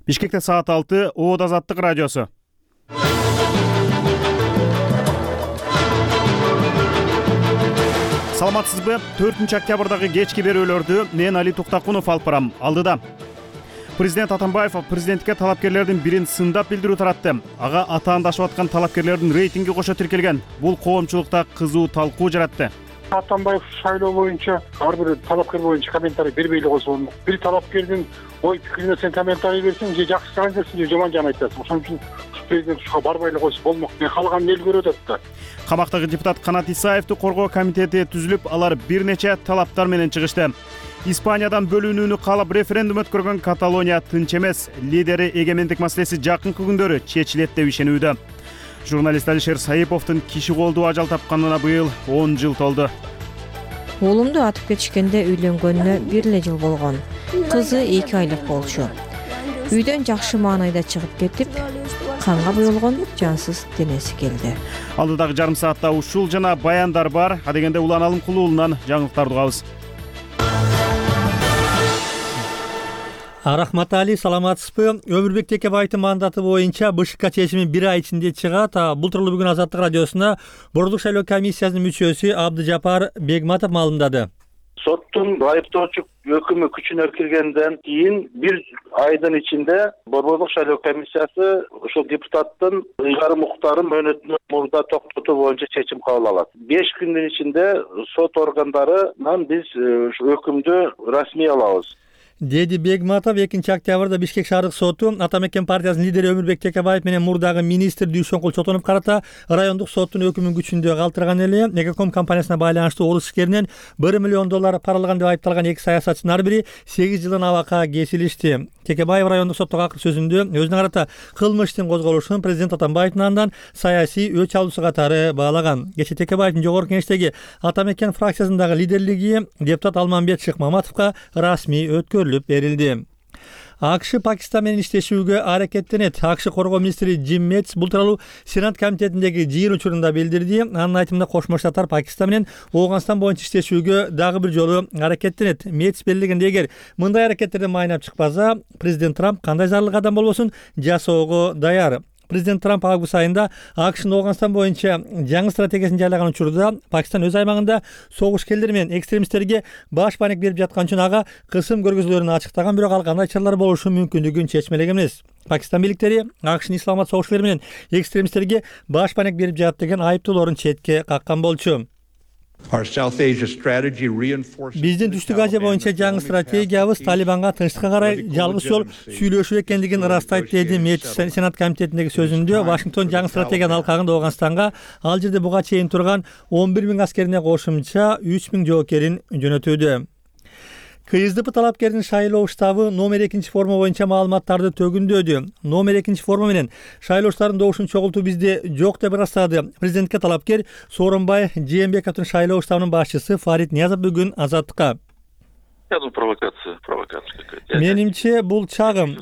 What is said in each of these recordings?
Бишкекте саат 6, Оот Азаттык радиосу. Саламатсызбы? 4-октябрдагы кечки берүүлөрдү мен Али Туктакунов алып барам. Алдыда Президент Атамбаев президентке талапкерлердин бирин сындап билдирүү таратты. Ага атаандашып аткан талапкерлердин рейтинги кошо тиркелген. Бул коомчулукта кызуу талкуу жаратты. Атамбаев шайлоо боюнча ар бир талапкер боюнча комментарий бербей эле койсо болмок. Бир талапкердин ой пикирине сен комментарий берсең, же жакшы жагын айтасың, же жаман жагын айтасың. Ошон үчүн президент ушуга барбай эле койсо болмок. Мен калган эл көрүп атат да. Камактагы депутат Канат Исаевди коргоо комитети түзүлүп, алар бир нече талаптар менен чыгышты. Испаниядан бөлүнүүнү каалап референдум өткөргөн Каталония тынч эмес. Лидери эгемендик маселеси жакынкы күндөрү чечилет деп ишенүүдө. Журналист Алишер Саиповдун киши колдуу ажал тапканына быйыл 10 жыл толду. Оолумду атып кетишкенде үйлөнгөнүнө 1 эле жыл болгон. Кызы 2 айлык болчу. Үйдөн жакшы маанайда чыгып кетип, канга буйулгон жансыз денеси келди. Алдыдагы жарым саатта ушул жана баяндар бар. Адегенде Улан Алымкулуу уулунан жаңылыктарды угабыз. Рахмат Али, саламатсызбы? Өмүрбек Текебаевдин мандаты боюнча БШК чечими 1 ай ичинде чыгат. Бул тууралуу бүгүн Азаттык радиосуна Борбордук шайлоо комиссиясынын мүчөсү Абдыжапар Бегматов маалымдады. Соттун айыптоочу өкүмү күчүнө киргенден кийин 1 айдын ичинде Борбордук шайлоо комиссиясы ушул депутаттын ыйгарым укуктарын мөөнөтүнөн мурда токтотуу боюнча чечим кабыл алат. 5 күндүн ичинде сот органдарынан биз өкүмдү расмий алабыз, деди Бегматов. 2 октябрда Бишкек шаардык соту Атамекен партиясынын лидери Өмүрбек Текебаев менен мурдагы министр Дүйшөнкул Чотонов карата райондук соттун өкүмүн күчүндө калтырган эле. Экоком компаниясына байланыштуу орус ишкеринен $1 миллион паралаган деп айыпталган 2 саясатчынын ар бири 8 жылдан абакка кесилишти. Текебаев райондук соттогу акыр сөзүндө өзүнө карата кылмыш иштин козголушун президент Атамбаевдин андан саясий өч алуусу катары баалаган. Кечээ Текебаевдин жогорку кеңештеги Атамекен фракциясындагы лидерлиги депутат Алмамбет Шыкмаматовго расмий өткөрүлүп берилди. АКШ Пакистан менен иштешүүгө аракеттенет. АКШ коргоо министри Джим Мэтс бул тууралуу Сенат комитетиндеги жыйын учурунда билдирди. Анын айтымында Кошмо Штаттар Пакистан менен Ооганстан боюнча иштешүүгө дагы бир жолу аракеттенет. Мэтс белгилегенде, эгер мындай аракеттерден майнап чыкпаса, президент Трамп кандай зарыл кадам болбосун жасоого даяр. Президент Трамп август айында АКШнын Ооганстан боюнча жаңы стратегиясын жарыялаган учурда Пакистан өз аймагында согушкерлер менен экстремисттерге баш баанек берип жаткан үчүн ага кысым көргөзүүлөрүн ачыктаган, бирок ал кандай чаралар болушу мүмкүндүгүн чечмелеген эмес. Пакистан бийликтери АКШнын исламат согушкерлер менен экстремисттерге баш баанек берип жатат деген айыптоолорун четке каккан болчу. Биздин Түштүк Азия боюнча жаңы стратегиябыз Талибанга тынчтыкка карай жалгыз жол сүйлөшүү экендигин ырастайт, деди Мэтс Сенат комитетиндеги сөзүндө. Вашингтон жаңы стратегиянын алкагында Ооганстанга ал жерде буга чейин турган 11 000 аскерине кошумча 3 000 жоокерин жөнөтүүдө. КСДП талапкердин шайлоо штабы номер 2 форма боюнча маалыматтарды төгүндөдү. Номер 2 форма менен шайлоочулардын добушун чогултуу бизде жок деп ырастады президентке талапкер Сооронбай Жээнбековдун шайлоо штабынын башчысы Фарид Ниязов бүгүн Азаттыкка. Провокация какая-то. Менимче бул чагым,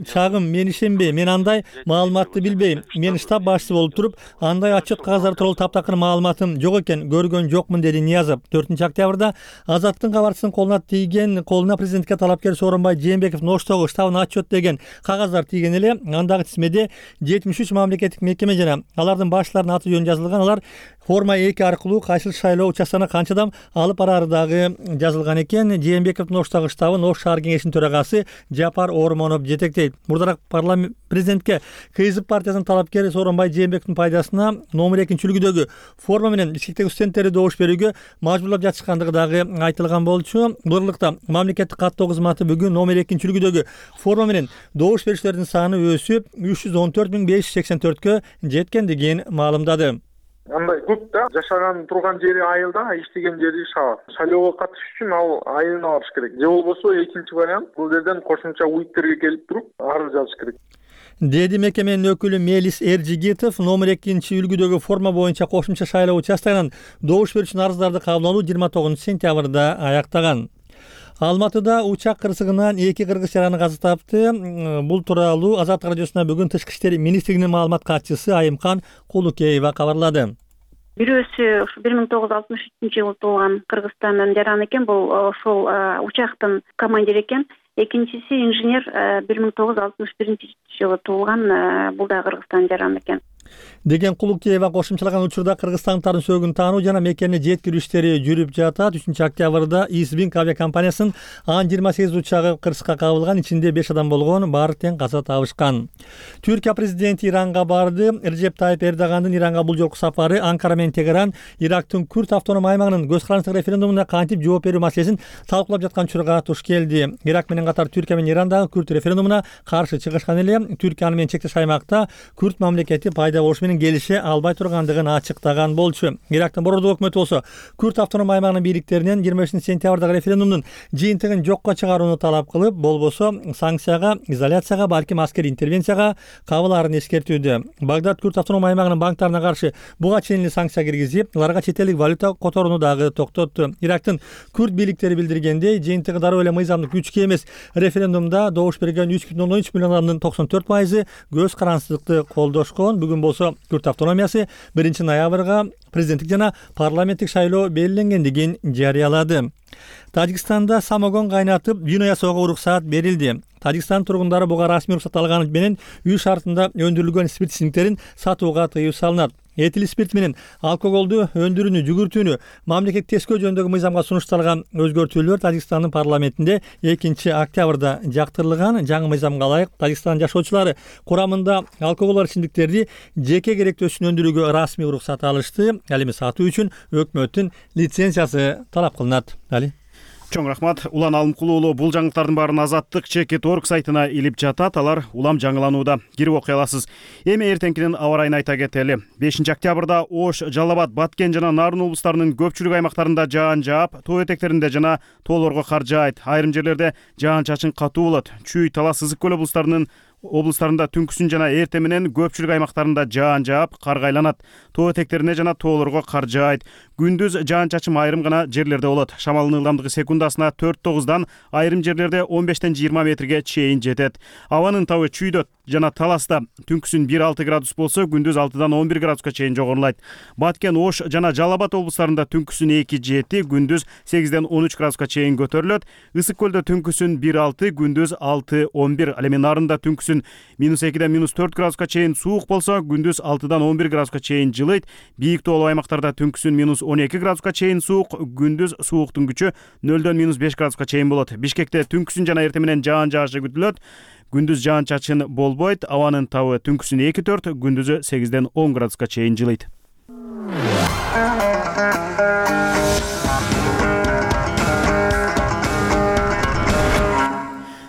мен ишенбейм. Мен андай маалыматты билбейм. Мен штаб башчысы болуп туруп, андай отчет кагаздары тууралуу таптакыр маалыматым жок экен, көргөн жокмун, деди Ниязов. 4 октябрда Азаттыктын кабарчысынын колуна президентке талапкер Сооронбай Жээнбековдун Оштогу штабына отчет деген кагаздар тийген эле. Андагы тизмеде 73 мамлекеттик мекеме жана алардын башчыларынын аты жөнү жазылган. Алар форма 2 аркылуу кайсыл шайлоо участкасына канчадан алып барары дагы жазылган экен. Жээнбековдун Оштогу штабын Ош шаар кеңешинин төрагасы Жапар Ормонов жетектейт. Мурдараак президентке КСДП партиясынын талапкери Сооронбай Жээнбековдун пайдасына номер 2 үлгүдөгү форма менен Бишкектеги студенттерди добуш берүүгө мажбурлап жатышкандыгы дагы айтылган болчу. Бурурлукта мамлекеттик каттоо кызматы бүгүн номер 2 үлгүдөгү форма менен добуш берүүчүлөрдүн саны өсүп 314 584кө жеткендигин маалымдады. Андай көп да, жашаган турган жери айылда, иштеген жери шаар. Шайлоого катышыш үчүн ал айылына барыш керек. Же болбосо экинчи вариант бул жерден кошумча уиттерге келип туруп арыз жазыш керек, деди мекеменин өкүлү Мелис Эржигитов. Номер 2 үлгүдөгү форма боюнча кошумча шайлоо участкасынан добуш берүүчү арыздарды кабыл алуу 29 сентябрда аяктаган. Алматыда учак кырсыгынан 2 кыргыз жараны каза тапты. Бул тууралуу Азаттык радиосуна бүгүн Тышкы иштер министрлигинин маалымат катчысы Айымкан Кулукеева кабарлады. Бирөөсү 1963 жылы туулган Кыргызстандан жаран экен. Бул ошол учактын командири экен. экинчиси инженер 1961-жылы туулган, бул да Кыргызстан жараны экен деген Кулукеева кошумчалаган учурда кыргызстандыктардын сөөгүн таануу жана мекени жеткирүү иштери жүрүп жатат. 3 октябрда Исбинг авиакомпаниясынын Ан-28 учагы кырсыкка кабылган, ичинде 5 адам болгон, баары тең каза табышкан. Түркия президенти Иранга барды. Режеп Тайып Эрдогандын Иранга бул жолку сапары Анкара менен Тегеран Ирактын Күрд автоном аймагынын көз карандысыздык референдумуна кантип жооп берүү маселесин талкуулап жаткан учурга туш келди. Ирак менен катар Түркия менен Ирандагы Күрд референдумуна каршы чыгышкан эле. Түркия аны менен чектеш аймакта Күрд мамлекети пайда болушу менен келише албай тургандыгын ачыктаган болчу. Ирактын борбордук өкмөтү болсо Күрд автоном аймагынын бийликтеринен 25-сентябрдагы референдумдун жыйынтыгын жокко чыгарууну талап кылып, болбосо санкцияга, изоляцияга, балким аскерий интервенцияга кабылаарын эскертүүдө. Багдад Күрд автоном аймагынын банктарына каршы буга чейин эле санкция киргизип, аларга чет элдик валюта которууну дагы токтотту. Ирактын Күрд бийликтери билдиргендей, жыйынтыгы дароо эле мыйзамдык күчкө эмес. Референдумда добуш берген 3,3 миллион адамдын 94% көз карандысыздыкты колдошкон. Бүгүн болсо Күрд автономиясы 1-ноябрга президенттик жана парламенттик шайлоо белгиленгендигин жарыялады. Тажикстанда самогон кайнатып вино жасоого уруксаат берилди. Тажикстан тургундары буга расмий уруксат алганы менен үй шартында өндүрүлгөн спирт ичимдиктерин сатууга тыюу салынат. Этил спирт менен алкоголду өндүрүүнү жүгүртүүнү мамлекет тескөө жөнүндөгү мыйзамга сунушталган өзгөртүүлөр Тажикстандын парламентинде 2 октябрда жактырылган. Жаңы мыйзамга ылайык Тажикстан жашоочулары курамында алкоголдуу ичимдиктерди жеке керектөөсүн өндүрүүгө расмий уруксат алышты. Ал эми сатуу үчүн өкмөттүн лицензиясы талап кылынат. Али Чоң рахмат. Улан Алымкулуулу бул жаңылыктардын баарын Азаттык Чекит.org сайтына илип жатат. Алар улам жаңыланууда. Кирип окуй аласыз. Эми эртеңкинин аба ырайын айта кетели. 5 октябрда Ош, Жалал Абад, Баткен жана Нарын облустарынын көпчүлүк аймактарында жаан жаап, тоо этектеринде жана тоолорго кар жаайт. Айрым жерлерде жаан-чачын катуу болот. Чүй, Талас, Сызык көл облустарында түнкүсүн жана эртең менен көпчүлүк аймактарында жаан жаап, кар кайланат. Тоо этектерине жана тоолорго кар жаайт. Күндүз жаан-чачым айрым гана жерлерде болот. Шамалдын ылдамдыгы секундасына 4-9дан, айрым жерлерде 15-20 метрге чейин жетет. Абанын табы Чүйдө жана Таласта түнкүсүн 1-6 градус болсо, күндүз 6-дан 11 градуска чейин жогорулайт. Баткен, Ош жана Жалал Абад облустарында түнкүсүн 2-7, күндүз 8-ден 13 градуска чейин көтөрүлөт. Ысык көлдө түнкүсүн 1-6, күндүз 6-11. Ал эми Нарында түнкүсүн -2-ден -4 градуска чейин суук болсо, күндүз 6-дан 11 градуска чейин жылыйт. Бийик тоолуу аймактарда түнкүсүн -12 градуска чейин суук, күндүз сууктун күчү 0-дөн -5 градуска чейин болот. Бишкекте түнкүсүн жана эртең менен жаан жаашы күтүлөт. Күндүз жаан-чачын болбойт. Абанын табы түнкүсүн 2-4, күндүзү 8-ден 10 градуска чейин жылыйт.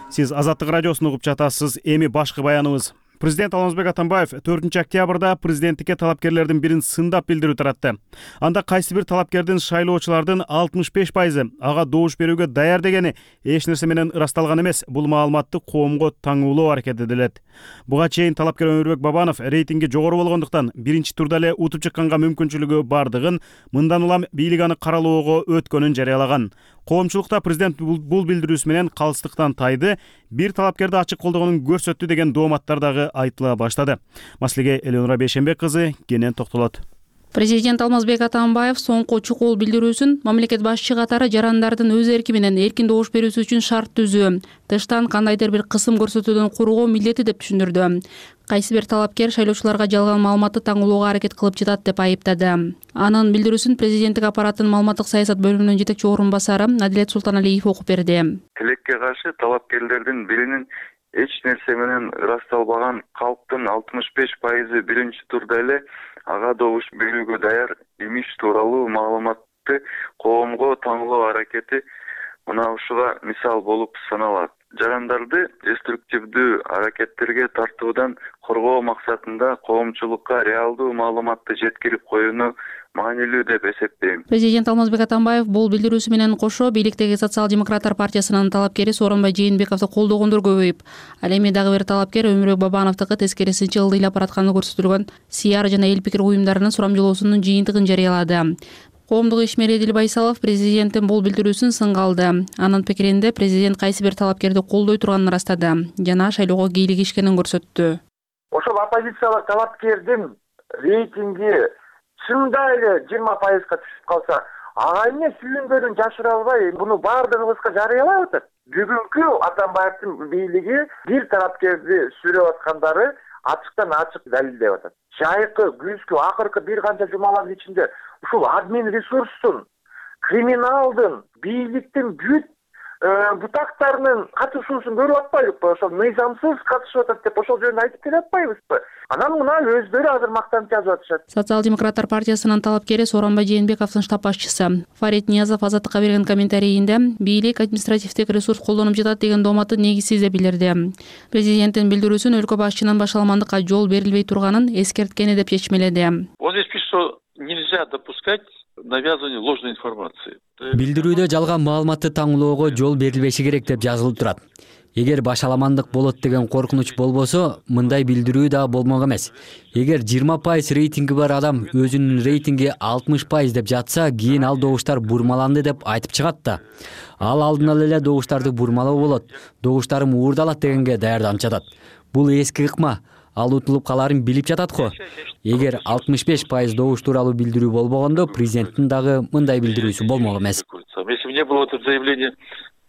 Сиз Азаттык радиосун угуп жатасыз. Эми башкы баяныбыз. Президент Алмазбек Атамбаев 4 октябрда президенттикке талапкерлердин бирин сындап билдирүү таратты. Анда кайсы бир талапкердин шайлоочулардын 65% ага добуш берүүгө даяр дегени эч нерсе менен ырасталган эмес. Бул маалыматты коомго таңуулоо аракет этилет. Буга чейин талапкер Өмүрбек Бабанов рейтинги жогору болгондуктан биринчи турда эле утуп чыкканга мүмкүнчүлүгү бардыгын, мындан улам бийлик аны каралоого өткөнүн жарыялаган. Коомчулукта президент бул билдирүүсү менен калыстыктан тайды, бир талапкерди ачык колдогонун көрсөттү деген дооматтар дагы айтыла баштады. Маселеге Элеонора Бейшенбек кызы кенен токтолот. Президент Алмазбек Атамбаев соңку чукул билдирүүсүн мамлекет башчы катары жарандардын өз эрки менен эркин добуш берүүсү үчүн шарт түзүү, тыштан кандайдыр бир кысым көрсөтүүдөн куруу милдети деп түшүндүрдү. Кайсы бир талапкер шайлоочуларга жалган маалыматты таңуулоого аракет кылып жатат деп айыптады. Анын билдирүүсүн президенттик аппараттын маалыматтык саясат бөлүмүнүн жетекчи орун басары Адилет Султаналиев окуп берди. Тилекке каршы талапкерлердин биринин эч нерсе менен ырасталбаган, калктын 65% биринчи турда эле ага добуш берүүгө даяр имиш тууралуу маалыматты коомго таңуулоо аракети мына ушуга мисал болуп саналат. Жарандарды деструктивдүү аракеттерге тартуудан коргоо максатында коомчулукка реалдуу маалыматты жеткирип коюуну маанилүү деп эсептейм. Президент Алмазбек Атамбаев бул билдирүүсү менен кошо бийликтеги социал-демократтар партиясынын талапкери Сооронбай Жээнбековду колдогондор көбөйүп, ал эми дагы бир талапкер Өмүрбек Бабановдуку тескерисинче ылдыйлап баратканы көрсөтүлгөн СИАР жана эл пикир уюмдарынын сурамжылоосунун жыйынтыгын жарыялады. Коомдук ишмер Эдил Байсалов президенттин бул билдирүүсүн сынга алды. Анын пикиринде президент кайсы бир талапкерди колдой турганын ырастады жана шайлоого кийлигишкенин көрсөттү. Ошол оппозициялык талапкердин рейтинги чында эле 20%га түшүп калса, ага эмне сүйүнгөнүн жашыра албай, муну баардыгыбызга жарыялап атат. бүгүнкү Атамбаевдин бийлиги бир тарапкерди сүрөп аткандары ачыктан ачык далилдеп атат. Жайкы, күзгү, акыркы бир канча жумалардын ичинде ушул админ ресурстун, криминалдын, бийликтин бүт бутактарынын катышуусун көрүп атпайбызбы? Ошол мыйзамсыз катышып атат деп ошол жөнүндө айтып келе атпайбызбы? Анан мына өздөрү азыр мактанып жазып атышат. Социал-демократтар партиясынын талапкери Сооронбай Жээнбековдун штаб башчысы Фарид Ниязов Азаттыкка берген комментарийинде бийлик административдик ресурс колдонуп жатат деген дооматты негизсиз деп билдирди. Президенттин билдирүүсүн өлкө башчынын башаламандыкка жол берилбей турганын эскерткени деп чечмеледи. Вот здесь пишет, что нельзя допускать навязывание ложной информации. Билдирүүдө жалган маалыматты таңлоого жол берилбеши керек деп жазылып турат. Эгер башаламандык болот деген коркунуч болбосо, мындай билдирүү да болмок эмес. Эгер 20% рейтинги бар адам өзүнүн рейтинги 60% деп жатса, кийин ал добуштар бурмаланды деп айтып чыгат да. Ал алдын ала эле добуштарды бурмалоо болот. Добуштарым уурдалат дегенге даярданып жатат. Бул эски ыкма. Ал утулуп каларын билип жатат го. Эгер 65% добуш тууралуу билдирүү болбогондо, президенттин дагы мындай билдирүүсү болмок эмес. Если бы не было этого заявления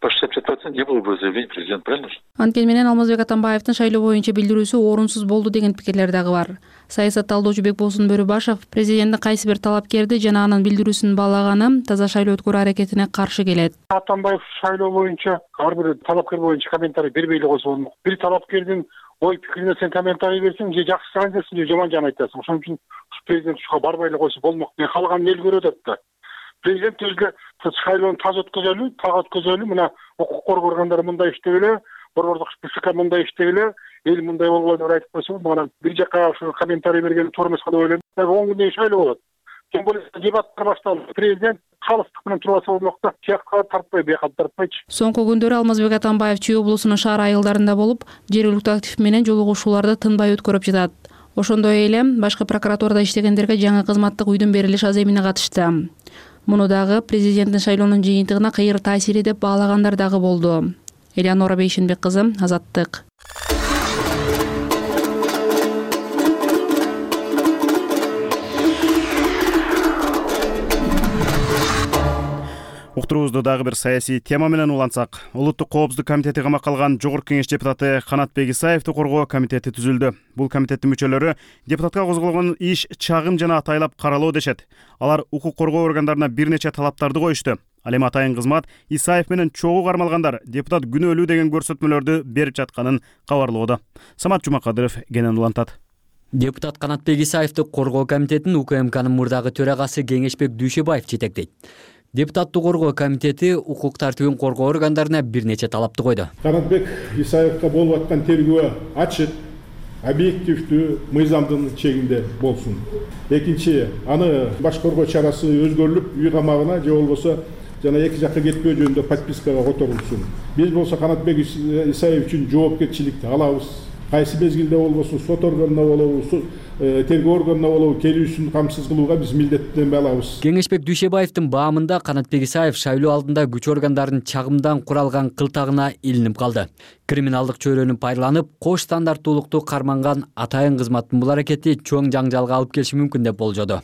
по 65%, не было бы заявления президента, правильно? Анткени менен Алмазбек Атамбаевдин шайлоо боюнча билдирүүсү орунсуз болду деген пикирлер дагы бар. Саясат талдоочу Бекболсун Бөрүбашев президенттин кайсы бир талапкерди жана анын билдирүүсүн баалаганы таза шайлоо өткөрүү аракетине каршы келет. Атамбаев шайлоо боюнча ар бир талапкер боюнча комментарий бербей эле койсо болмок. Бир талапкердин ой пикирине сен комментарий берсең, же жакшы айтасың, же жаман жан айтасың. Ошон үчүн президент ушуга барбай эле койсо болмок. Мен калганын эл көрүп атат да. Президент өзгө шайлоону таза өткөзөлү, мына укук коргоо органдары мындай иштебеле, борбордук СК мындай иштебеле, эл мындай болгон деп айтып койсо, мына бир жака ушу комментарий берген туура эмес деп ойлойм. 10 күндөн шайлоо болот. Тем более дебаттар башталды. Президент калыстык менен турбаса болмок да, тиякка тартпай, бияка тартпайчы. Соңку күндөрү Алмазбек Атамбаев Чүй облусунун шаар айылдарында болуп, жергиликтүү актив менен жолугушууларды тынбай өткөрүп жатат. Ошондой эле башкы прокуратурада иштегендерге жаңы кызматтык үйдүн берилиш аземине катышты. Муну дагы президенттин шайлоонун жыйынтыгына кыйыр таасири деп баалагандар дагы болду. Элеонора Бейшенбек кызы, Азаттык. Уктуруубузду дагы бир саясий тема менен улантсак, Улуттук коопсуздук комитети камакка алган Жогорку Кеңеш депутаты Канатбек Исаевди коргоо комитети түзүлдү. Бул комитеттин мүчөлөрү депутатка козголгон иш чагым жана атайлап каралоо дешет. Алар укук коргоо органдарына бир нече талаптарды коюшту. Ал эми атайын кызмат Исаев менен чогуу кармалгандар депутат күнөөлүү деген көрсөтмөлөрдү берип жатканын кабарлоодо. Самат Жумакадыров кенен улантат. Депутат Канатбек Исаевди коргоо комитетин УКМКнын мурдагы төрагасы Кеңешбек Дүйшөбаев жетектейт. Депутаттык коргоо комитети укук тартибин коргоо органдарына бир нече талапты койду. Канатбек Исаевга болуп аткан тергөө ачык, объективдүү, мыйзамдын чегинде болсун. Экинчи, аны башкаргоо чарасы өзгөрүлүп, үй камагына же болбосо жана эки жакка кетпөө жөнүндө подпискага которулсун. Биз болсо Канатбек Исаев үчүн жоопкерчиликти алабыз. Кайсы мезгилде болбосун сот органына болобу, тергөө органына болобу келүүсүн камсыз кылууга биз милдеттенме алабыз. Кеңешбек Дүйшөбаевдин баамында Канатбек Исаев шайлоо алдында күч органдарынын чагымдан куралган кылтагына илинип калды. Криминалдык чөйрөнү пайдаланып, кош стандарттуулукту карманган атайын кызматтын бул аракети чоң жаңжалга алып келиши мүмкүн деп болжоду.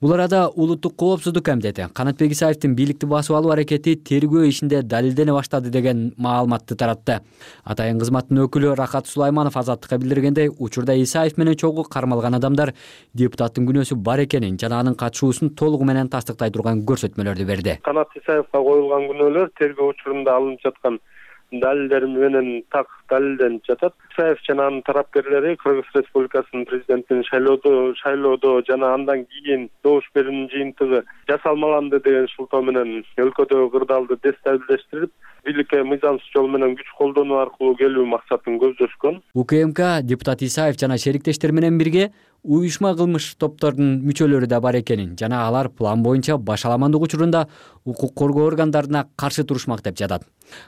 Бул арада Улуттук коопсуздук комитети Канатбек Исаевдин бийликти басып алуу аракети тергөө ишинде далилдене баштады деген маалыматты таратты. Атайын кызматтын өкүлү Рахат Сулайманов Азаттыкка билдиргендей, учурда Исаев менен чогуу кармалган адамдар депутаттын күнөөсү бар экенин жана анын катышуусун толугу менен тастыктай турган көрсөтмөлөрдү берди. Канат Исаевга коюлган күнөөлөр тергөө учурунда алынып жаткан далилдер менен так далилденип жатат. Исаев жана анын тарапкерлери Кыргыз Республикасынын президентин шайлоодо жана андан кийин добуш берүүнүн жыйынтыгы жасалмаланды деген шылтоо менен өлкөдөгү кырдаалды дестабилдештирип, бийликке мыйзамсыз жол менен күч колдонуу аркылуу келүү максатын көздөшкөн. УКМК депутат Исаев жана шериктештер менен бирге уюшма кылмыш топторунун мүчөлөрү да бар экенин жана алар план боюнча башаламандык учурунда укук коргоо органдарына каршы турушмак деп жатат.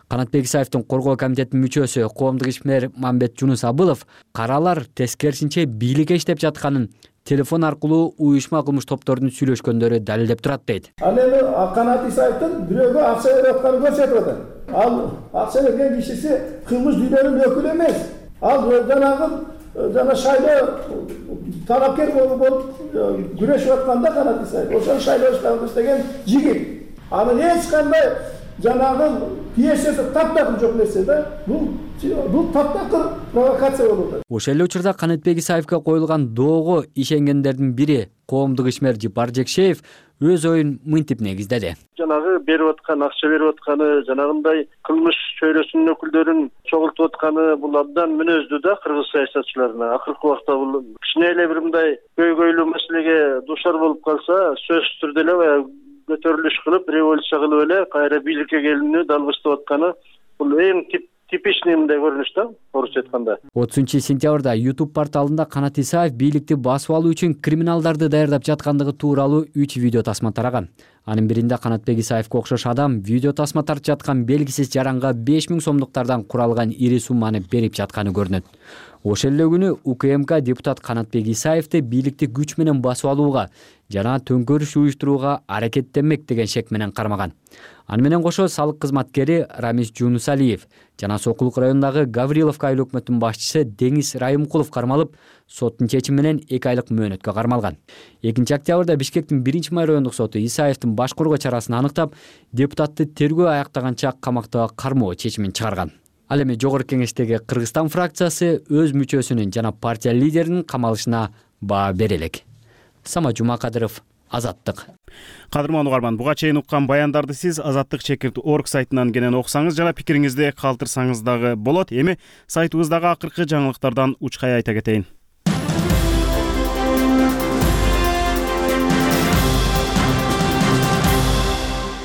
Канатбек Исаевдин коргоо комитетинин мүчөсү коомдук ишмер Мамбет Жунус Абылов каралар тескерисинче бийликке иштеп жатканын телефон аркылуу уюшма кылмыш топторунун сүйлөшкөндөрү далилдеп турат дейт. Ал эми Канат Исаевдин бирөөгө акча берип атканын көрсөтүп атат. Ал акча берген кишиси кылмыш дүйнөнүн өкүлү эмес. Ал жана шайлоо талапкер болуп күрөшүп атканда Канат Исаев ошол шайлоо штабында иштеген жигит. Анын эч кандай жанагы пьесасы таптакыр жок нерсе да. Бул таптакыр провокация болуп атат. Ошол эле учурда Канатбек Исаевге коюлган доого ишенгендердин бири коомдук ишмер Жипар Жекшеев өз оюн мынтип негиздеди. Жанагы берип аткан акча берип атканы, жанагындай кылмыш чөйрөсүнүн өкүлдөрүн чогултуп атканы бул абдан мүнөздүү да кыргыз саясатчыларына. Акыркы убакта бул кичине эле бир мындай көйгөйлүү маселеге дуушар болуп калса, сөзсүз түрдө эле баягы көтөрүлүш кылып, революция кылып эле кайра бийликке келүүнү далбыстап атканы бул эң типичный мындай көрүнүш да, орусча айтканда. 30-сентябрда YouTube порталында Канат Исаев бийликти басып алуу үчүн криминалдарды даярдап жаткандыгы тууралуу 3 видео тасма тараган. Анын биринде Канатбек Исаевге окшош адам видео тасма тартып жаткан белгисиз жаранга 5000 сомдуктардан куралган ири сумманы берип жатканы көрүнөт. Ошол эле күнү УКМК депутат Канатбек Исаевди бийликти күч менен басып алууга жана төңкөрүш уюштурууга аракеттенмек деген шек менен кармаган. Аны менен кошо салык кызматкери Рамис Жунусалиев жана Сокулук районундагы Гавриловка айыл өкмөтүнүн башчысы Деңиз Райымкулов кармалып, соттун чечими менен 2 айлык мөөнөткө кармалган. 2-октябрда Бишкектин 1-май райондук соту Исаевдин баш коргоо чарасын аныктап, депутатты тергөө аяктаганча камакта кармоо чечимин чыгарган. Ал эми Жогорку Кеңештеги Кыргызстан фракциясы өз мүчөсүнүн жана партия лидеринин камалышына баа бере элек. Сама Жумакадыров, Азаттык. Кадырман угарман, буга чейин уккан баяндарды сиз azattik.org сайтынан кенен окусаңыз жана пикириңизди калтырсаңыз дагы болот. Эми сайтыбыздагы акыркы жаңылыктардан учкай айта кетейин.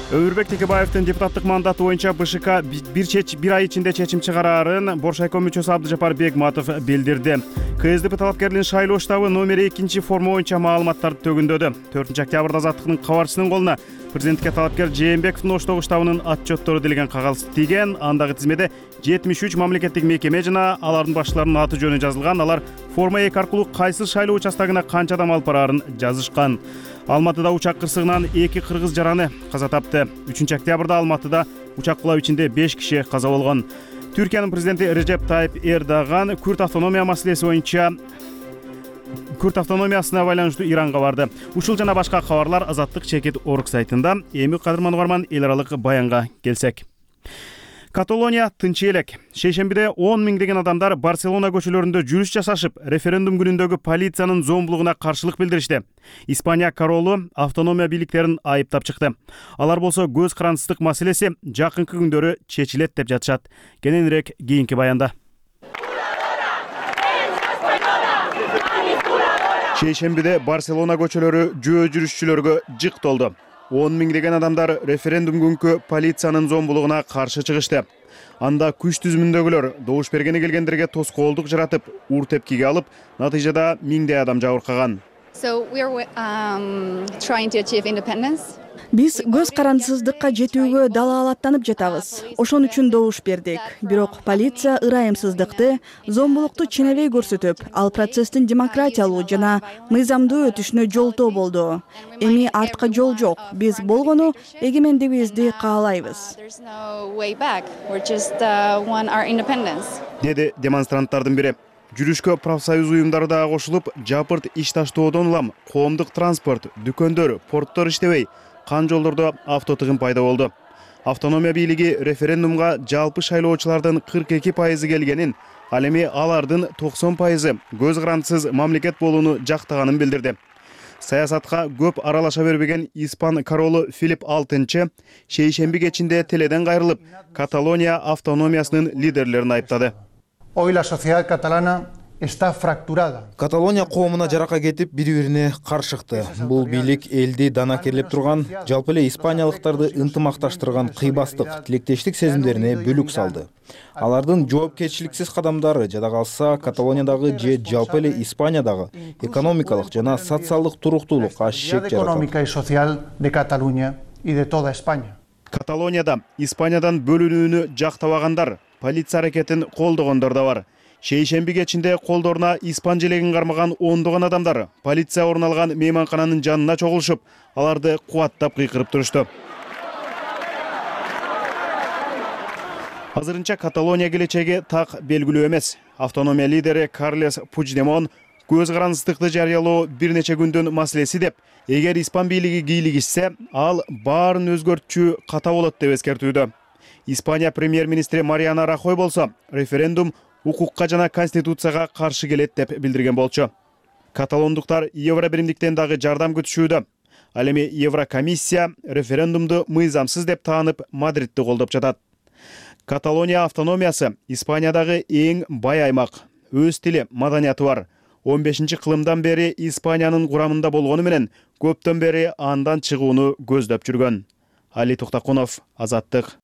Өмүрбек Текебаевдин депутаттык мандаты боюнча БШК бир ай ичинде чечим чыгарарын Боршайком мүчөсү Абдыжапар Бегматов билдирди. КСДП талапкеринин шайлоо штабы номер 2 форма боюнча маалыматтарды төгүндөдү. 4-октябрда Азаттыктын кабарчысынын колуна президентке талапкер Жээнбековдун оштогу штабынын отчеттору делген кагаз тийген. Андагы тизмеде 73 мамлекеттик мекеме жана алардын башчыларынын аты жөнү жазылган. Алар форма 2 аркылуу кайсы шайлоо участогуна канча адам алып бараарын жазышкан. Алматыда учак кырсыгынан 2 кыргыз жараны каза тапты. 3-октябрда Алматыда учак кулап ичинде 5 киши каза болгон. Түркиянын президенти Режеп Тайып Эрдоган Күрд автономия маселеси боюнча Күрд автономиясына байланыштуу Иранга барды. Ушул жана башка кабарлар azattik.org сайтында. Эми кадырман угарман, эл аралык баянга келсек. Каталония тынч элек. Шейшембиде 10 миңдеген адамдар Барселона көчөлөрүндө жүрүш жасашып, референдум күнүндөгү полициянын зомбулугуна каршылык билдиришти. Испания королу автономия бийликтерин айыптап чыкты. Алар болсо көз карансыздык маселеси жакынкы күндөрү чечилет деп жатышат. Кененирээк кийинки баянда. Шейшембиде Барселона көчөлөрү жөө жүрүшчүлөргө жык толду. 10 миңдеген адамдар референдум күнкү полициянын зомбулугуна каршы чыгышты. Анда күч түзүмүндөгүлөр добуш бергени келгендерге тоскоолдук жаратып, ур тепкиге алып, натыйжада миңдей адам жабыркаган. Биз көз карансыздыкка жетүүгө далаалаттанып жатабыз. Ошон үчүн добуш бердик. Бирок полиция ырайымсыздыкты, зомбулукту ченебей көрсөтүп, ал процесстин демократиялуу жана мыйзамдуу өтүшүнө жолтоо болду. Эми артка жол жок. Биз болгону эгемендигибизди каалайбыз. Деди демонстранттардын бири. Жүрүшкө профсоюз уюмдары да кошулуп, жапырт иш таштоодон улам коомдук транспорт, дүкөндөр, порттор иштебей, кан жолдордо автотыгын пайда болду. Автономия бийлиги референдумга жалпы шайлоочулардын 42% келгенин, ал эми алардын 90% көз карандысыз мамлекет болууну жактаганын билдирди. Саясатка көп аралаша бербеген испан королу Филипп VI шейшемби кечинде теледен кайрылып, Каталония автономиясынын лидерлерин айыптады. Hoy la sociedad catalana está fracturada. Каталония коомуна жарака кетип, бири-бирине каршыкты. Бул бийлик элди данакерлеп турган, жалпы эле испаниялыктарды ынтымакташтырган кыйбастык, тилектештик сезимдерине бүлүк салды. Алардын жоопкерчиликсиз кадамдары жада калса Каталониядагы же жалпы эле Испаниядагы экономикалык жана социалдык туруктуулукка шек жаратат. Económica y social de Cataluña y de toda España. Каталонияда Испаниядан бөлүнүүнү жактабагандар, полиция аракетин колдогондор да бар. Шейшемби кечинде колдоруна испан желегин кармаган ондогон адамдар полиция орун алган мейманкананын жанына чогулушуп, аларды кубаттап кыйкырып турушту. Азырынча Каталония келечеги так белгилүү эмес. Автономия лидери Карлес Пучдемон көз карандысыздыкты жарыялоо бир нече күндөн маселеси деп, эгер испан бийлиги кийлигишсе, ал баарын өзгөртчү ката болот деп эскертүүдө. Испания премьер-министри Мариана Рахой болсо, референдум укукка жана конституцияга каршы келет деп билдирген болчу. Каталондуктар Евро биримдиктен дагы жардам күтүшүүдө. Ал эми Еврокомиссия референдумду мыйзамсыз деп таанып, Мадридти колдоп жатат. Каталония автономиясы Испаниядагы эң бай аймак. Өз тили, маданияты бар. 15-кылымдан бери Испаниянын курамында болгону менен көптөн бери андан чыгууну көздөп жүргөн. Али Токтакунов, Азаттык.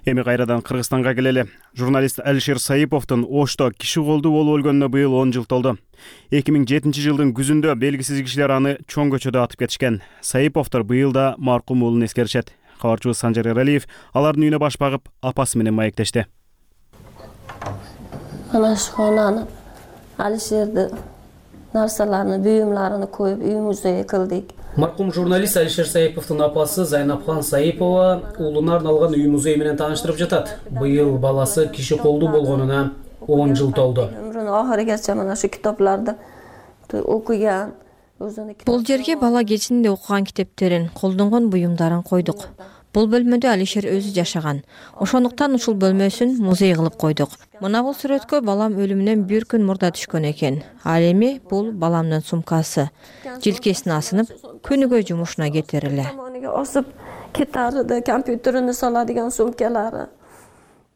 Эми кайрадан Кыргызстанга келели. Журналист Алишер Саиповдун Ошто киши колдуу болуп өлгөнүнө быйыл 10 жыл толду. 2007-жылдын күзүндө белгисиз кишилер аны чоң көчөдө атып кетишкен. Саиповдор быйыл да маркум уулун эскеришет. Кабарчыбыз Санжар Эралиев алардын үйүнө баш багып, апасы менен маектешти. Ana şonаны Алишерди нарсаларны, буюмларını коюп үйүбүздө кылдык. Маркум журналист Алишер Саиповдун апасы Зайнапхан Саипова уулуна арналган үй музей менен тааныштырып жатат. Быйыл баласы киши колдуу болгонуна 10 жыл толду. Өмүрүнүн ахырыгача мына шу китаптарды окуган. Бул жерге бала кезинде окуган китептерин, колдонгон буюмдарын койдук. Бул бөлмөдө Алишер өзү жашаган. Ошондуктан ушул бөлмөсүн музей кылып койдук. Мына бул сүрөткө балам өлүмүнөн бир күн мурда түшкөн экен. Ал эми бул баламдын сумкасы. Жилкесин асынып, күнүгө жумушуна кетер эле. Осуп кетарыды, компьютерине саладыган сумкалары.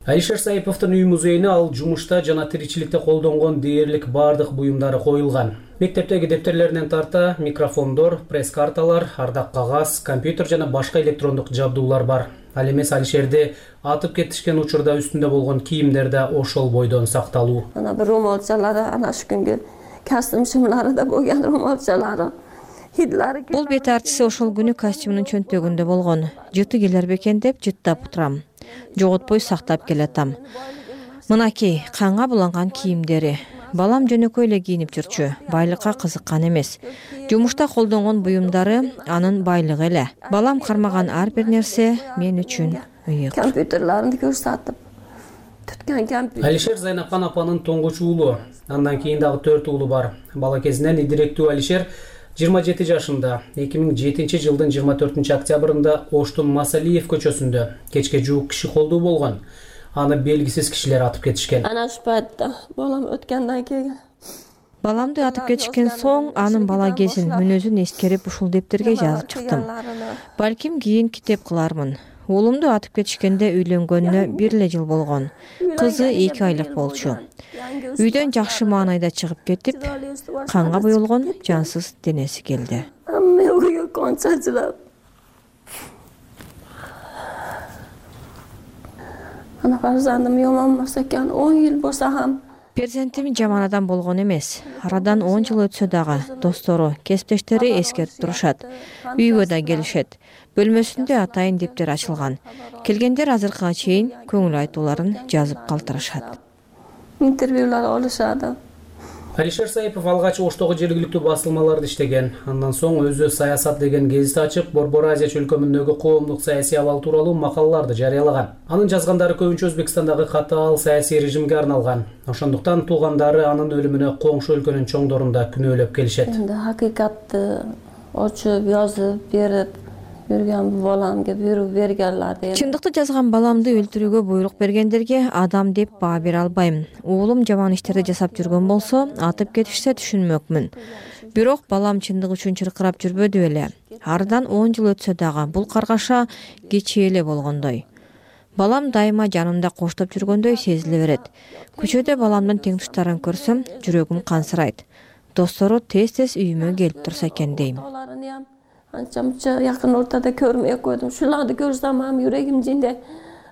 Алишер Саиповдун үй музейине ал жумушта жана тиричиликте колдонгон дээрлик бардык буюмдары коюлган. Мектептеги дептерлеринен тарта микрофондор, пресс-карталар, ардак кагаз, компьютер жана башка электрондук жабдуулар бар. Ал эмес Алишерди атып кетишкен учурда үстүндө болгон кийимдер да ошол бойдон сакталуу. Ана бир румалчалары, ана шу күнгө костюм шымлары да болгон румалчалары. Бул бет артиси ошол күнү костюмунун чөнтөгүндө болгон. Жыты келер бекен деп жыттап турам. Жоготпой сактап келатам. Мынакей канга буланган кийимдери. Балам жөнөкөй эле кийинип жүрчү. Байлыкка кызыккан эмес. Жумушта колдонгон буюмдары анын байлыгы эле. Балам кармаган ар бир нерсе мен үчүн ыйык. Компьютерларын көрсөтүп түткөн компьютер. Алишер Зайнапхан апанын тоңгуч уулу. Андан кийин дагы 4 уулу бар. Бала кезинен идиректүү Алишер 27 жашында 2007-жылдын 24 октябрында Оштун Масалиев көчөсүндө кечке жуук киши колдуу болгон. Аны белгисиз кишилер атып кетишкен. Ана шу пайтта балам өткөндөн кийин Баламды атып кетишкен соң анын бала кезин, мүнөзүн эскерип ушул дептерге жазып чыктым. Балким кийин китеп кылармын. Уулумду атып кетишкенде үйлөнгөнүнө 1 жыл болгон. Кызы 2 айлык болчу. Үйдөн жакшы маанайда чыгып кетип, канга буюлгон жансыз денеси келди. Ана фарзандым йомонмаса экен, 10 жыл болсо ham. Перзентим жаман адам болгон эмес. Арадан 10 жыл өтсө дагы достору, кесиптештери эскертип турушат. Үйгө да келишет. Бөлмөсүндө атайын дептер ачылган. Келгендер азыркыга чейин көңүл айтууларын жазып калтырышат. Интервьюлар алышады. Алишер Саипов алгач Оштогу жергиликтүү басылмаларды иштеген. Андан соң өзү Саясат деген гезит ачып, Борбор Азия чөлкөмүндөгү коомдук саясий абал тууралуу макалаларды жарыялаган. Анын жазгандары көбүнчө Өзбекстандагы катаал саясий режимге арналган. Ошондуктан туугандары анын өлүмүнө коңшу өлкөнүн чоңдорунда күнөөлөп келишет. Эми hakikatты очуп, жазып берип жүргөн баламга буйрук бергенлер. Чындыкты жазган баламды өлтүрүүгө буйрук бергендерге адам деп баа бере албайм. Уулум жаман иштерди жасап жүргөн болсо, атып кетишсе түшүнмөкмүн. Бирок балам чындык үчүн чыркырап жүрбөдү эле. Ардан 10 жыл өтсө дагы бул каргаша кечээ эле болгондой. Балам дайыма жанымда коштоп жүргөндөй сезиле берет. Көчөдө баламдын теңтуштарын көрсөм, жүрөгүм кансырайт. Достору тез-тез үйүмө келип турса экен дейм. Анча-мынча жакын ортада көрмөй койдум. Шуларды көрсөм ham жүрөгүм жинде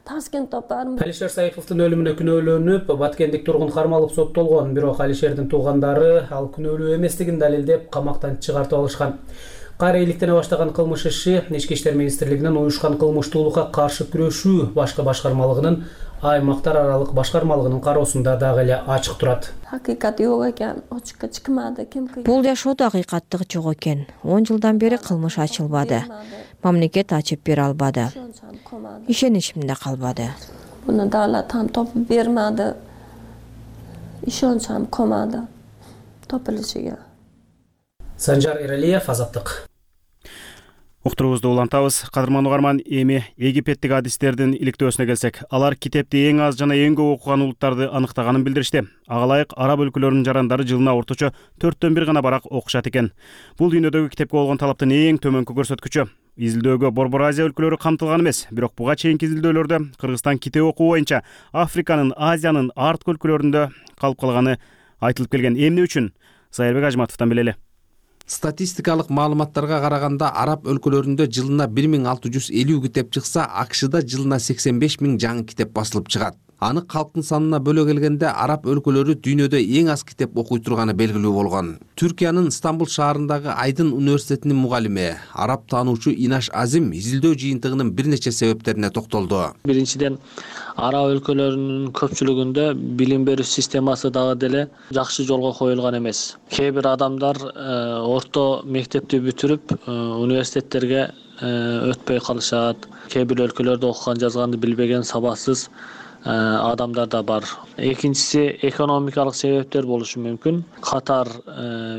таскен топтарым. Алишер Саиповдун өлүмүнө күнөөлөнүп, Баткендик тургун кармалып соттолгон, бирок Алишердин туугандары ал күнөөлүү эместигин далилдеп, камактан чыгартып алышкан. Кайра иликтене баштаган кылмыш иши Ички иштер министрлигинин уюшкан кылмыштуулукка каршы күрөшүү башкы башкармалыгынын аймактар аралык башкармалыгынын кароосунда дагы эле ачык турат. Hakikati yok ekan, ochiqqa chiqmadi, kim qilgan? Бул жашоодо акыйкаттык жок экен. 10 жылдан бери кылмыш ачылбады. Мамлекет ачып бере албады. Ишеничимде калбады. Buni davlat ham topib bermadi. Ishonch ham qolmadi topilishiga. Санжар Эралиев, Азаттык. Уктуруубузду улантабыз. Кадырман угарман, эми египеттик адистердин иликтөөсүнө келсек, алар китепти эң аз жана эң көп окуган улуттарды аныктаганын билдиришти. Ага ылайык араб өлкөлөрүнүн жарандары жылына орточо 4төн 1 гана барак окушат экен. Бул дүйнөдөгү китепке болгон талаптын эң төмөнкү көрсөткүчү. Изилдөөгө Борбор Азия өлкөлөрү камтылган эмес, бирок буга чейинки изилдөөлөрдө Кыргызстан китеп окуу боюнча Африканын, Азиянын арткы өлкөлөрүндө калып калганы айтылып келген. Эмне үчүн? Сайырбек Ажматовдон билели. Статистикалык маалыматтарга караганда араб өлкөлөрүндө жылына 1650 китеп чыкса, АКШда жылына 85 000 жаңы китеп басылып чыгат. Аны калктын санына бөлө келгенде араб өлкөлөрү дүйнөдө эң аз китеп окуй турганы белгилүү болгон. Түркиянын Стамбул шаарындагы Айдын университетинин мугалими, араб таануучу Инаш Азим изилдөө жыйынтыгынын бир нече себептерине токтолду. Биринчиден, араб өлкөлөрүнүн көпчүлүгүндө билим берүү системасы дагы деле жакшы жолго коюлган эмес. Кээ бир адамдар орто мектепти бүтүрүп университеттерге өтпөй калышат. Кээ бир өлкөлөрдө окуган жазганды билбеген сабаксыз адамдар да бар. Экинчиси экономикалык себептер болушу мүмкүн. Катар,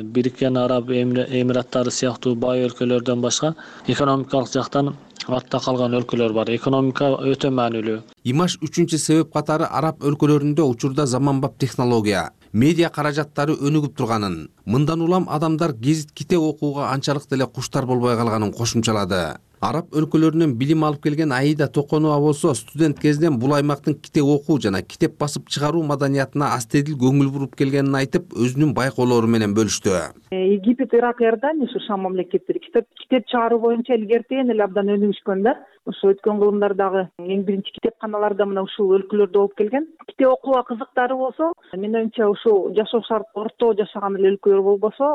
Бириккен Араб Эмираттары сыяктуу бай өлкөлөрдөн башка экономикалык жактан артта калган өлкөлөр бар. Экономика өтө маанилүү. Имаш үчүнчү себеп катары араб өлкөлөрүндө учурда заманбап технология, медиа каражаттары өнүгүп турганын, мындан улам адамдар гезит китеп окууга анчалык деле куштар болбой калганын кошумчалады. Араб өлкөлөрүнөн билим алып келген Аида Токонова болсо студент кезинен бул аймактын китеп окуу жана китеп басып чыгаруу маданиятына астедил көңүл буруп келгенин айтып, өзүнүн байкоолору менен бөлүштү. Египет, Ирак, Иордания ушу Шам мамлекеттери китеп чыгаруу боюнча илгертен эле абдан өнүгүшкөн да. Ошо өткөн кылымдардагы эң биринчи китепканалар да мына ушул өлкөлөрдө болуп келген. Китеп окууга кызыктары болсо, менин оюмча ушул жашоо шарты орто жашаган эле өлкөлөр болбосо,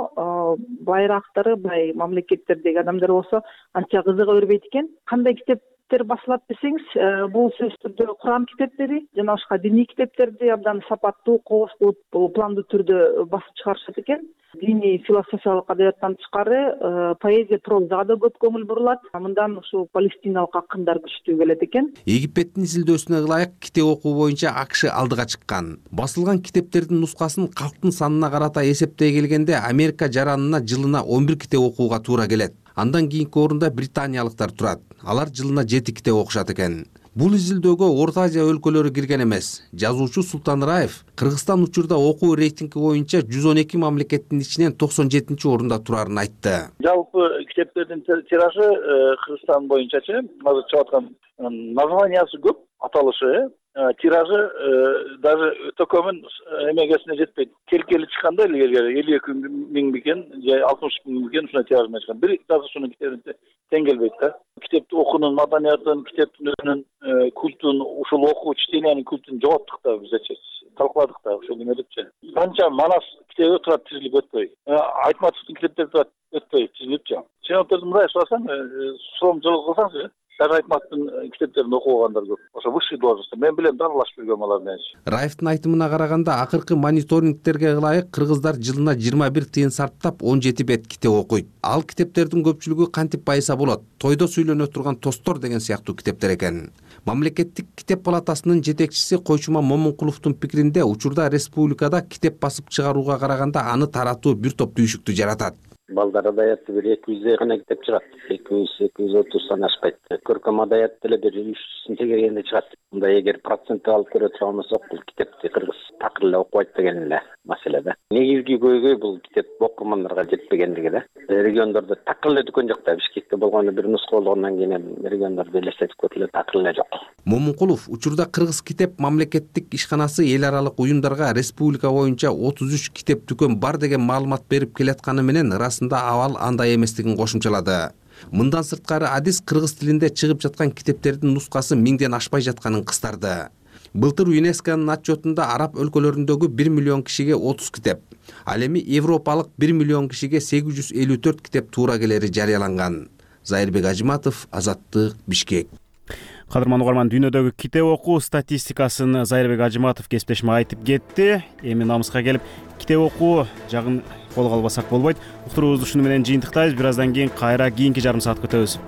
байраактары, бай мамлекеттердеги адамдар болсо анча кызыга бербейт экен. Кандай китептер басылат десеңиз, бул сөзсүз түрдө Куран китептери жана башка диний китептерди абдан сапаттуу, кооз кылып, пландуу түрдө басып чыгарышат экен. Диний философиялык адабияттан тышкары поэзия, прозага да көп көңүл бурулат. Мындан ушул палестиналык акындар күчтүү келет экен. Египеттин изилдөөсүнө ылайык китеп окуу боюнча АКШ алдыга чыккан. Басылган китептердин нускасын калктын санына карата эсептей келгенде Америка жаранына жылына 11 китеп окууга туура келет. Андан кийинки орунда британиялыктар турат. Алар жылына 7 китеп окушат экен. Бул изилдөөгө Орто Азия өлкөлөрү кирген эмес. Жазуучу Султан Раев Кыргызстан учурда окуу рейтинги боюнча 112 мамлекеттин ичинен 97-орунда турарын айтты. Жалпы китептердин тиражы Кыргызстан боюнчачы азыр чыгып аткан названиясы көп, аталышы, тиражы даже төкөмүн эмегесине жетпейт. Келкели чыкканда эле 52 000 бекен же 60 000 бекен ушундай тираж менен чыккан. Бир жазуучунун китебин тең келбейт да. Китепти окуунун маданиятын, китептин өзүнүн культун, ушул окуу чтениянын культун жоготтук да бизче. Талкыладык да ошол эмелипчи. Канча Манас китеби турат тизилип өтпөй. Айтматовдун китептери турат өтпөй тизилипчи. Чыгымдарды мындай сурасаң, суроом жолго кылсаңчы, Даже Айтматтын китептерин окугандар көп. Ошо высший должность. Мен билем дарылашып жүргөн алар менен. Раевдин айтымына караганда, акыркы мониторингтерге ылайык кыргыздар жылына 21 тыйын сарптап 17 бет китеп окуйт. Ал китептердин көпчүлүгү кантип байса болот? Тойдо сүйлөнө турган тостор деген сыяктуу китептер экен. Мамлекеттик китеп палатасынын жетекчиси Койчума Момункуловдун пикиринде, учурда республикада китеп басып чыгарууга караганда аны таратуу бир топ түйшүктү жаратат. Балдар адаятты бир 200 гана китеп чыгат. 200-230 ашпайт. Көркөм адаят деле бир 300 тегергенде чыгат. Мында эгер процент алып көрө турган болсок, бул китепти кыргыз такыр эле окубайт деген эле маселе да. Негизги көйгөй бул китеп окурмандарга жетпегендиги да. Региондордо такыр эле дүкөн жок да. Бишкекте болгону бир нуска болгондон кийин региондордо элестетип көрүлөт, такыр эле жок. Момункулов учурда кыргыз китеп мамлекеттик ишканасы эл аралык уюмдарга республика боюнча 33 китеп дүкөн бар деген маалымат берип келатканы менен расында абал андай эместигин кошумчалады. Мындан сырткары адис кыргыз тилинде чыгып жаткан китептердин нускасы 1000ден ашпай жатканын кыстарды. Былтыр ЮНЕСКОнун отчетунда араб өлкөлөрүндөгү 1 миллион кишиге 30 китеп, ал эми европалык 1 миллион кишиге 854 китеп туура келери жарыяланган. Зайырбек Ажматов, Азаттык, Бишкек. Кадырман угарман, дүйнөдөгү китеп окуу статистикасын Зайырбек Ажыматов кесиптешиме айтып кетти. Эми намыска келип китеп окуу жагын колго албасак болбойт. Уктуруубузду ушуну менен жыйынтыктайбыз. Бир аздан кийин кайра кийинки жарым саатка өтөбүз.